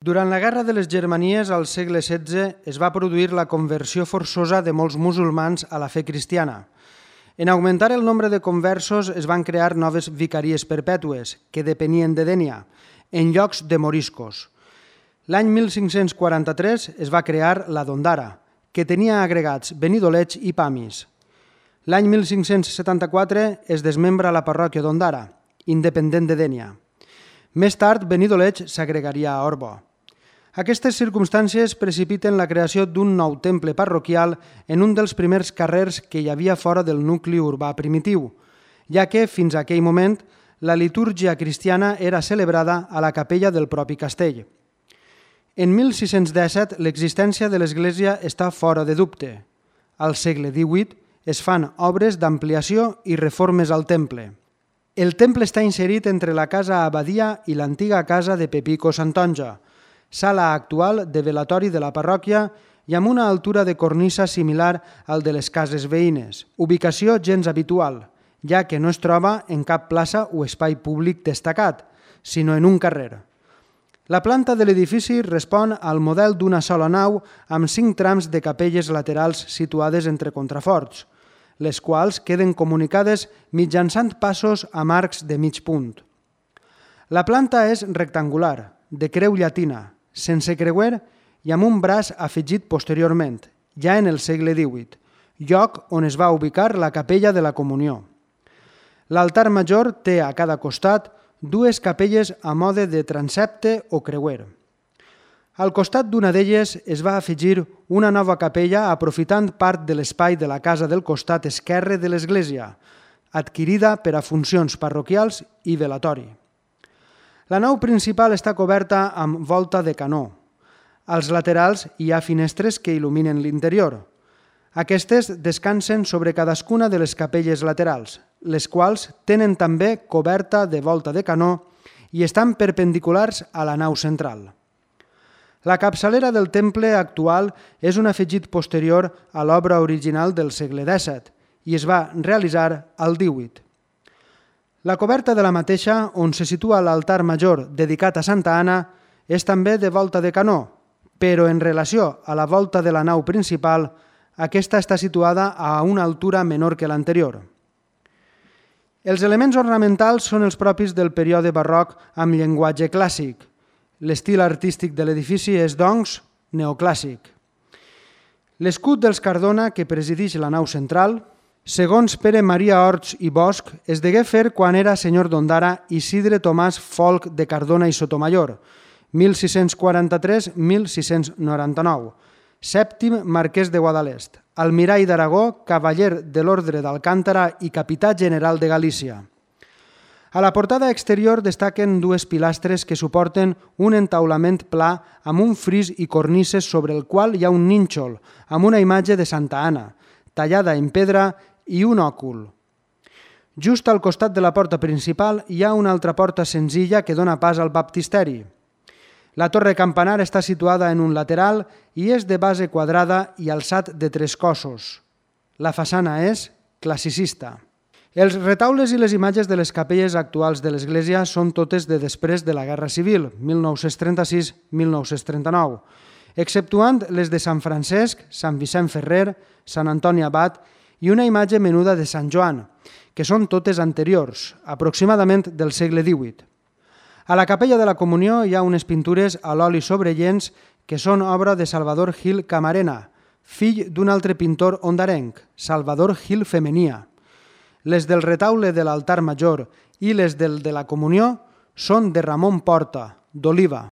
Durant la Guerra de les Germanies al segle XVI es va produir la conversió forçosa de molts musulmans a la fe cristiana. En augmentar el nombre de conversos es van crear noves vicaries perpètues, que depenien de Dénia, en llocs de moriscos. L'any 1543 es va crear la d'Ondara, que tenia agregats Benidolets i Pamis. L'any 1574 es desmembra la parròquia d'Ondara, independent de Dénia. Més tard, Benidolets s'agregaria a Orbo. Aquestes circumstàncies precipiten la creació d'un nou temple parroquial en un dels primers carrers que hi havia fora del nucli urbà primitiu, ja que, fins a aquell moment, la litúrgia cristiana era celebrada a la capella del propi castell. En 1617, l'existència de l'església està fora de dubte. Al segle XVIII es fan obres d'ampliació i reformes al temple. El temple està inserit entre la casa abadia i l'antiga casa de Pepico Santonja, sala actual de velatori de la parròquia i amb una altura de cornisa similar al de les cases veïnes, ubicació gens habitual, ja que no es troba en cap plaça o espai públic destacat, sinó en un carrer. La planta de l'edifici respon al model d'una sola nau amb 5 trams de capelles laterals situades entre contraforts, les quals queden comunicades mitjançant passos amb arcs de mig punt. La planta és rectangular, de creu llatina, sense creuer i amb un braç afegit posteriorment, ja en el segle XVIII, lloc on es va ubicar la capella de la Comunió. L'altar major té a cada costat 2 capelles a mode de transepte o creuer. Al costat d'una d'elles es va afegir una nova capella aprofitant part de l'espai de la casa del costat esquerre de l'església, adquirida per a funcions parroquials i velatori. La nau principal està coberta amb volta de canó. Als laterals hi ha finestres que il·luminen l'interior. Aquestes descansen sobre cadascuna de les capelles laterals, les quals tenen també coberta de volta de canó i estan perpendiculars a la nau central. La capçalera del temple actual és un afegit posterior a l'obra original del segle XVII i es va realitzar al XVIII. La coberta de la mateixa, on se situa l'altar major dedicat a Santa Anna, és també de volta de canó, però en relació a la volta de la nau principal, aquesta està situada a una altura menor que l'anterior. Els elements ornamentals són els propis del període barroc amb llenguatge clàssic. L'estil artístic de l'edifici és, doncs, neoclàssic. L'escut dels Cardona, que presideix la nau central, segons Pere Maria Orts i Bosch, es degué fer quan era senyor d'Ondara Isidre Tomàs Folc de Cardona i Sotomayor, 1643-1699, sèptim marquès de Guadalest, almirall d'Aragó, cavaller de l'Ordre d'Alcántara i capità general de Galícia. A la portada exterior destaquen 2 pilastres que suporten un entaulament pla amb un fris i cornises sobre el qual hi ha un nínxol amb una imatge de Santa Anna, tallada en pedra i un òcul. Just al costat de la porta principal hi ha una altra porta senzilla que dona pas al baptisteri. La torre campanar està situada en un lateral i és de base quadrada i alçat de 3 cossos. La façana és classicista. Els retaules i les imatges de les capelles actuals de l'església són totes de després de la Guerra Civil, 1936-1939, exceptuant les de Sant Francesc, Sant Vicent Ferrer, Sant Antoni Abat i una imatge menuda de Sant Joan, que són totes anteriors, aproximadament del segle XVIII. A la capella de la Comunió hi ha unes pintures a l'oli sobre llenç que són obra de Salvador Gil Camarena, fill d'un altre pintor ondarenc, Salvador Gil Femenia. Les del retaule de l'altar major i les del de la Comunió són de Ramon Porta, d'Oliva.